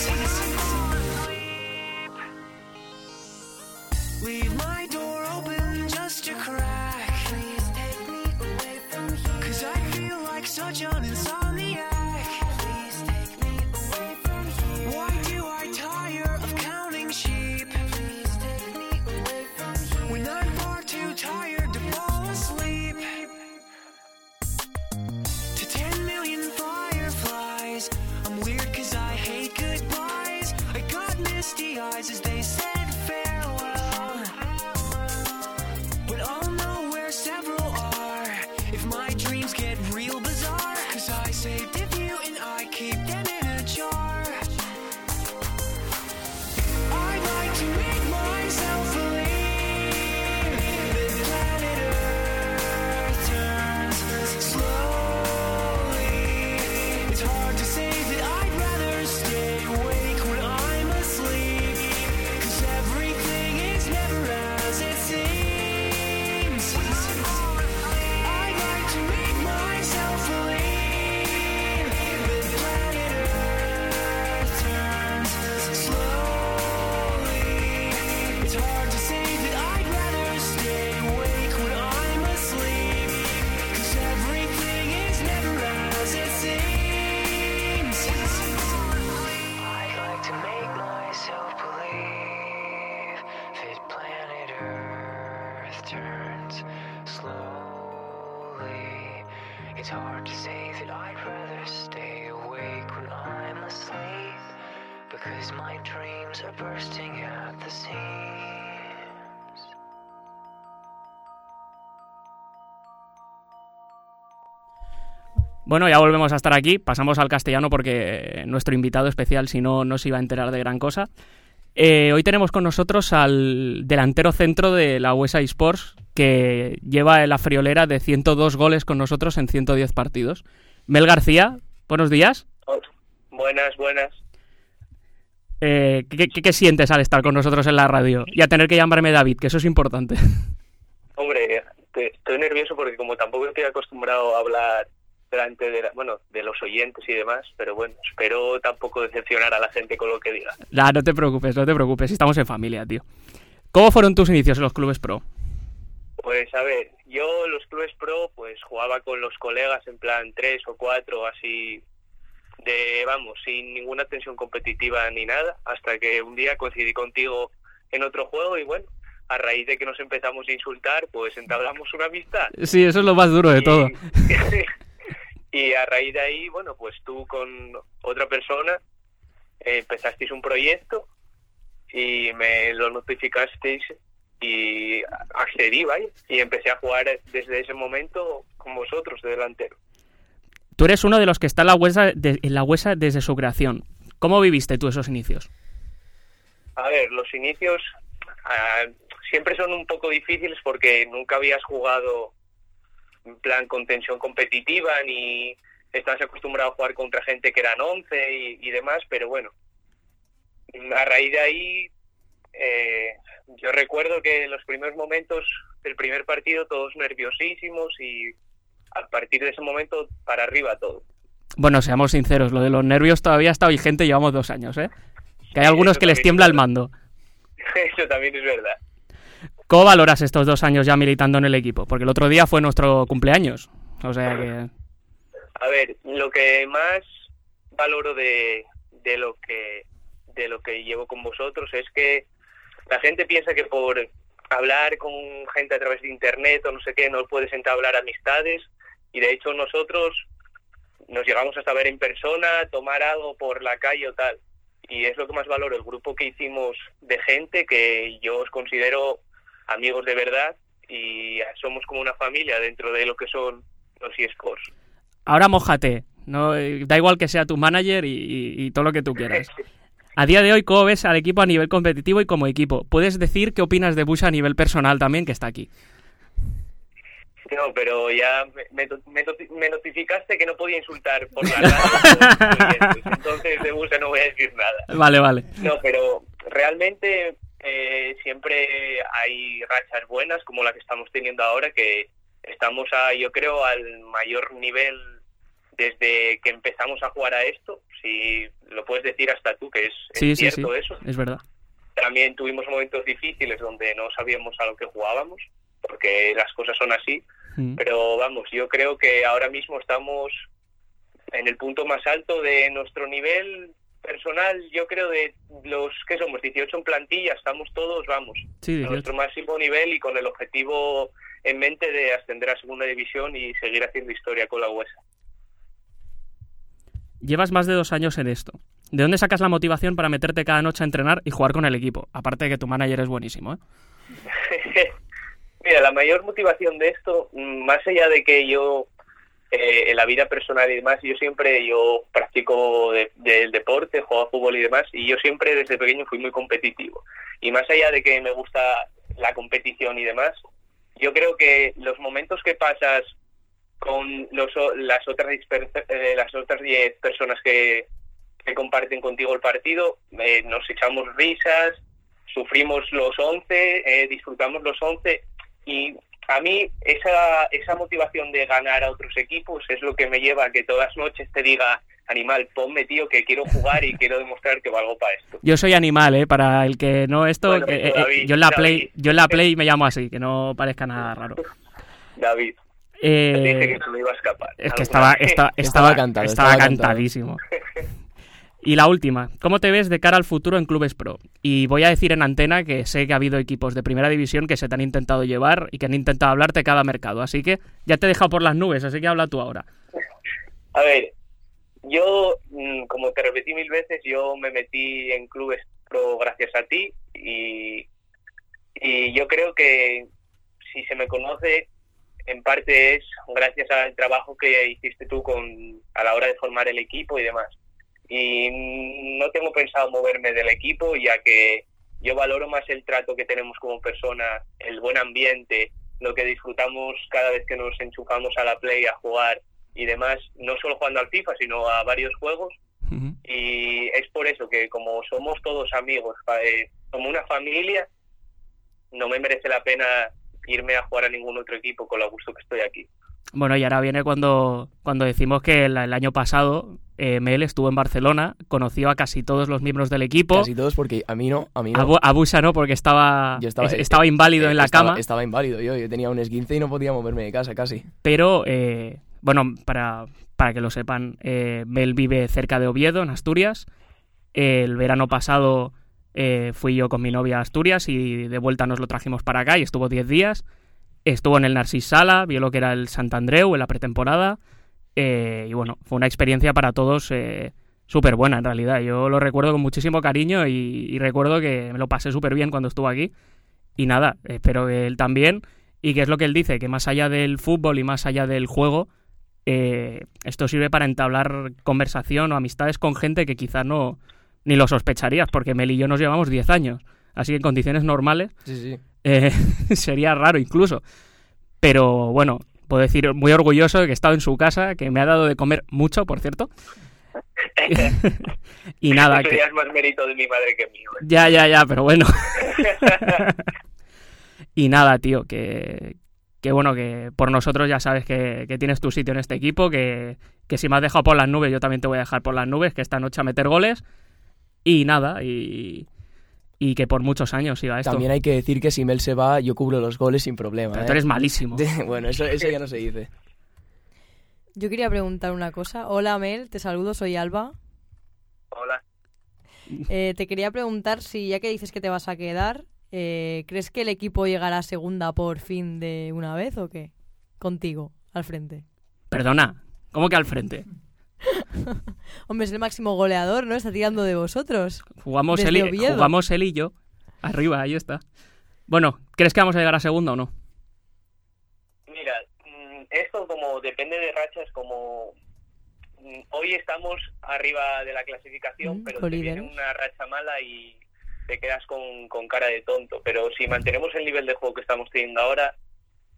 Leave my door open just a crack. Please take me away from here, cause I feel like such an insomniac. Please take me away from here. Why do I tire of counting sheep? Please take me away from here, when I'm far too tired to fall asleep. To ten million fireflies, I'm weird cause I hate goodbyes. I got misty eyes as they said farewell, but I'll know where several are if my dreams get real bizarre, cause I saved a few and I keep them in a jar. I'd like to make myself believe that planet Earth turns slowly. It's hard to say that I'd rather stay awake when I'm asleep, cause everything is never as it seems. I'd like to make myself believe that planet Earth turns slowly. It's hard to say that I'd rather stay awake when I'm asleep, cause everything is never as it seems. I'd like to make myself believe that planet Earth turns slowly. It's hard to say that I'd rather stay awake when I'm asleep, because my dreams are bursting at the seams. Bueno, ya volvemos a estar aquí, pasamos al castellano porque nuestro invitado especial, si no, no se iba a enterar de gran cosa. Eh, hoy tenemos con nosotros al delantero centro de la U S A eSports, que lleva la friolera de ciento dos goles con nosotros en ciento diez partidos. Mel García, buenos días. Buenas, buenas. Eh, ¿qué, qué, ¿Qué sientes al estar con nosotros en la radio? Y a tener que llamarme David, que eso es importante. Hombre, te, estoy nervioso porque como tampoco estoy acostumbrado a hablar delante de, la, bueno, de los oyentes y demás, pero bueno, espero tampoco decepcionar a la gente con lo que diga. Nah, no te preocupes, no te preocupes, estamos en familia, tío. ¿Cómo fueron tus inicios en los clubes pro? Pues a ver, yo los clubes pro pues jugaba con los colegas en plan tres o cuatro, así de, vamos, sin ninguna tensión competitiva ni nada, hasta que un día coincidí contigo en otro juego y bueno, a raíz de que nos empezamos a insultar, pues entablamos una amistad. Sí, eso es lo más duro de y, todo. Y a raíz de ahí, bueno, pues tú con otra persona eh, empezasteis un proyecto y me lo notificasteis y accedí, ¿vale? Y empecé a jugar desde ese momento con vosotros de delantero. Tú eres uno de los que está en la Huesa, de, en la Huesa desde su creación. ¿Cómo viviste tú esos inicios? A ver, los inicios uh, siempre son un poco difíciles porque nunca habías jugado en plan con tensión competitiva ni estás acostumbrado a jugar contra gente que eran once y, y demás, pero bueno, a raíz de ahí eh, yo recuerdo que en los primeros momentos del primer partido todos nerviosísimos y a partir de ese momento para arriba todo. Bueno, seamos sinceros, lo de los nervios todavía está vigente, llevamos dos años, ¿eh? Que hay Sí, algunos que les tiembla es el mando. Eso también es verdad. ¿Cómo valoras estos dos años ya militando en el equipo? Porque el otro día fue nuestro cumpleaños, o sea que... A ver, lo que más valoro de, de lo que de lo que llevo con vosotros es que la gente piensa que por hablar con gente a través de internet o no sé qué no puedes entablar amistades y de hecho nosotros nos llegamos hasta ver en persona, tomar algo por la calle o tal y es lo que más valoro, el grupo que hicimos de gente que yo os considero amigos de verdad y somos como una familia dentro de lo que son los eSports. Ahora mójate, no, da igual que sea tu manager y, y, y todo lo que tú quieras. A día de hoy, ¿cómo ves al equipo a nivel competitivo y como equipo? ¿Puedes decir qué opinas de Bush a nivel personal también, que está aquí? No, pero ya me, me, me notificaste que no podía insultar por la radio, entonces de Bush no voy a decir nada. Vale, vale. No, pero realmente eh, siempre hay rachas buenas como la que estamos teniendo ahora, que estamos, a, yo creo, al mayor nivel desde que empezamos a jugar a esto, si lo puedes decir hasta tú, que es, sí, es sí, cierto sí, eso. Es verdad. También tuvimos momentos difíciles donde no sabíamos a lo que jugábamos, porque las cosas son así, mm. pero vamos, yo creo que ahora mismo estamos en el punto más alto de nuestro nivel personal, yo creo de los que somos dieciocho en plantilla, estamos todos, vamos, sí, a nuestro máximo nivel y con el objetivo en mente de ascender a segunda división y seguir haciendo historia con la Huesa. Llevas más de dos años en esto. ¿De dónde sacas la motivación para meterte cada noche a entrenar y jugar con el equipo? Aparte de que tu manager es buenísimo, ¿eh? Mira, la mayor motivación de esto, más allá de que yo, eh, en la vida personal y demás, yo siempre, yo practico de, de, el deporte, juego a fútbol y demás, y yo siempre desde pequeño fui muy competitivo. Y más allá de que me gusta la competición y demás, yo creo que los momentos que pasas con los, las otras eh, las otras diez personas que, que comparten contigo el partido, eh, nos echamos risas, sufrimos los once, eh, disfrutamos los once y a mí esa esa motivación de ganar a otros equipos es lo que me lleva a que todas las noches te diga, Animal, ponme tío que quiero jugar y quiero demostrar que valgo para esto. Yo soy Animal, eh, para el que no esto, bueno, eh, David, eh, yo en la David. Play, yo en la Play me llamo así, que no parezca nada raro. David. Eh, te dije que se me iba a escapar. Es que estaba, esta, estaba, estaba, cantado, estaba, estaba cantadísimo. Y la última, ¿cómo te ves de cara al futuro en clubes pro? Y voy a decir en antena que sé que ha habido equipos de primera división que se te han intentado llevar y que han intentado hablarte cada mercado, así que ya te he dejado por las nubes, así que habla tú ahora. A ver, yo, como te repetí mil veces, yo me metí en clubes pro gracias a ti y, y yo creo que si se me conoce, en parte es gracias al trabajo que hiciste tú con a la hora de formar el equipo y demás. Y no tengo pensado moverme del equipo, ya que yo valoro más el trato que tenemos como personas, el buen ambiente, lo que disfrutamos cada vez que nos enchufamos a la Play a jugar y demás, no solo jugando al FIFA, sino a varios juegos. Ujú. Y es por eso que como somos todos amigos, fa- eh, como una familia, no me merece la pena irme a jugar a ningún otro equipo con lo a gusto que estoy aquí. Bueno, y ahora viene cuando, cuando decimos que el, el año pasado eh, Mel estuvo en Barcelona, conoció a casi todos los miembros del equipo. Casi todos, porque a mí no, a mí no. A, Bu- a Busa no, porque estaba, Yo estaba, es- estaba inválido eh, en la estaba- cama. Estaba inválido yo, yo tenía un esguince y no podía moverme de casa casi. Pero, eh, bueno, para, para que lo sepan, eh, Mel vive cerca de Oviedo, en Asturias. El verano pasado eh, fui yo con mi novia a Asturias y de vuelta nos lo trajimos para acá y estuvo diez días. Estuvo en el Narcís Sala, vio lo que era el Sant Andreu en la pretemporada. Eh, y bueno, fue una experiencia para todos eh, súper buena en realidad. Yo lo recuerdo con muchísimo cariño y, y recuerdo que me lo pasé súper bien cuando estuvo aquí. Y nada, espero que él también. Y que es lo que él dice, que más allá del fútbol y más allá del juego, eh, esto sirve para entablar conversación o amistades con gente que quizás no ni lo sospecharías, porque Mel y yo nos llevamos diez años. Así que en condiciones normales Sí, sí. eh, sería raro incluso. Pero bueno, puedo decir muy orgulloso de que he estado en su casa, que me ha dado de comer mucho, por cierto. Y nada, Eso que... ya es más mérito de mi madre que mío. ¿eh? Ya, ya, ya, pero bueno. Y nada, tío, que, que bueno, que por nosotros ya sabes que, que tienes tu sitio en este equipo, que, que si me has dejado por las nubes, yo también te voy a dejar por las nubes, que esta noche a meter goles. Y nada, y, y que por muchos años siga esto. También hay que decir que si Mel se va, yo cubro los goles sin problema. Pero ¿eh? tú eres malísimo. Bueno, eso, eso ya no se dice. Yo quería preguntar una cosa. Hola, Mel, te saludo, soy Alba. Hola. Eh, te quería preguntar si, ya que dices que te vas a quedar, eh, ¿crees que el equipo llegará a segunda por fin de una vez o qué? Contigo, al frente. Perdona, ¿cómo que al frente? Hombre, es el máximo goleador, ¿no? Está tirando de vosotros. Jugamos Desde él, y, Oviedo. jugamos él y yo. Arriba, ahí está. Bueno, ¿crees que vamos a llegar a segunda o no? Mira, mm, esto como depende de rachas, como mm, hoy estamos arriba de la clasificación, Mm, pero te colíderes. viene una racha mala y te quedas con, con cara de tonto. Pero si mantenemos el nivel de juego que estamos teniendo ahora,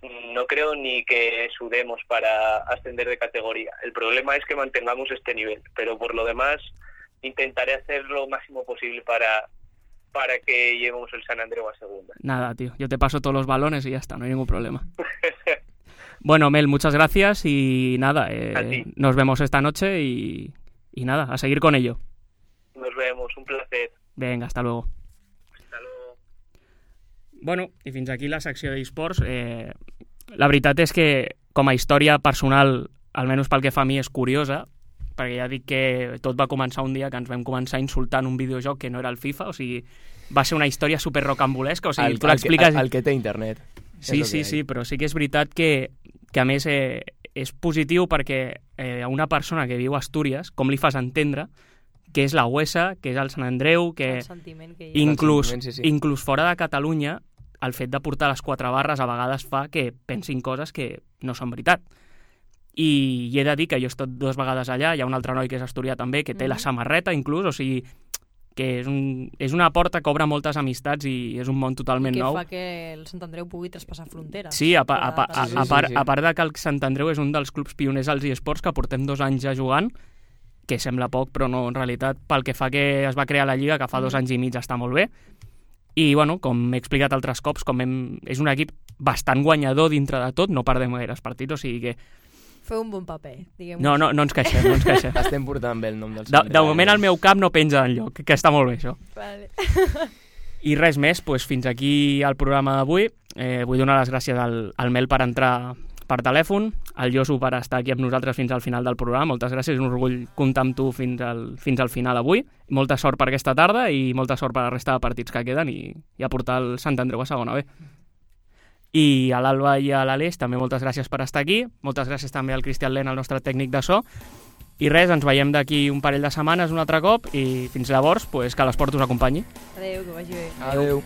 mm, no creo ni que sudemos para ascender de categoría. El problema es que mantengamos este nivel, pero por lo demás intentaré hacer lo máximo posible para, para que llevemos el San Andreu a segunda. Nada, tío, yo te paso todos los balones y ya está, no hay ningún problema. Bueno, Mel, muchas gracias y nada, eh, A ti. nos vemos esta noche y, y nada, a seguir con ello. Nos vemos, un placer. Venga, hasta luego. Hasta luego. Bueno, i fins aquí la secció d'esports. Eh, la veritat és que, com a història personal, almenys pel que fa a mi, és curiosa, perquè ja dic que tot va començar un dia que ens vam començar insultant un videojoc que no era el FIFA, o sigui, va ser una història super rocambolesca, o sigui, El, tu el, l'expliques... el, el que té internet. Sí, sí, sí, però sí que és veritat que, que a més, eh, és positiu perquè eh, a una persona que viu a Astúries, com li fas entendre que és la Huesa, que és el Sant Andreu, que El sentiment que hi ha. inclús, sentiment, sí, sí. inclús fora de Catalunya, el fet de portar les quatre barres a vegades fa que pensin coses que no són veritat. I, i he de dir que jo he estat dues vegades allà, hi ha un altre noi que és asturià també, que té Mhm. la samarreta inclús, o sigui, que és, un, és una porta que obre moltes amistats i és un món totalment que nou. fa que el Sant Andreu pugui traspassar fronteres. Sí, a, pa, a, pa, a, Sí, sí, a, sí, part, sí. a part de que el Sant Andreu és un dels clubs pioners als eSports que portem dos anys ja jugant, que sembla poc, però no, en realitat, pel que fa que es va crear la Lliga, que fa dos anys i mig està molt bé. I, bueno, com he explicat altres cops, com hem, és un equip bastant guanyador dintre de tot, no perdem gaires partits, o sigui que... Feu un bon paper, diguem-ho. No, no, no ens queixem, no ens queixem. Estem portant bé el nom del De, Sant de Andreu. moment el meu cap no penja enlloc, que està molt bé això. Vale. I res més, doncs fins aquí el programa d'avui. Eh, vull donar les gràcies al, al Mel per entrar per telèfon, al Josu per estar aquí amb nosaltres fins al final del programa. Moltes gràcies, és un orgull comptar amb tu fins al, fins al final avui. Molta sort per aquesta tarda i molta sort per la resta de partits que queden i, i a portar el Sant Andreu a segona B. I a l'Alba i a l'Aleix també moltes gràcies per estar aquí. Moltes gràcies també al Cristian Len, el nostre tècnic de so. I res, ens veiem d'aquí un parell de setmanes un altre cop i fins llavors, pues, que l'esport us acompanyi. Adéu, que vagi bé. Adéu.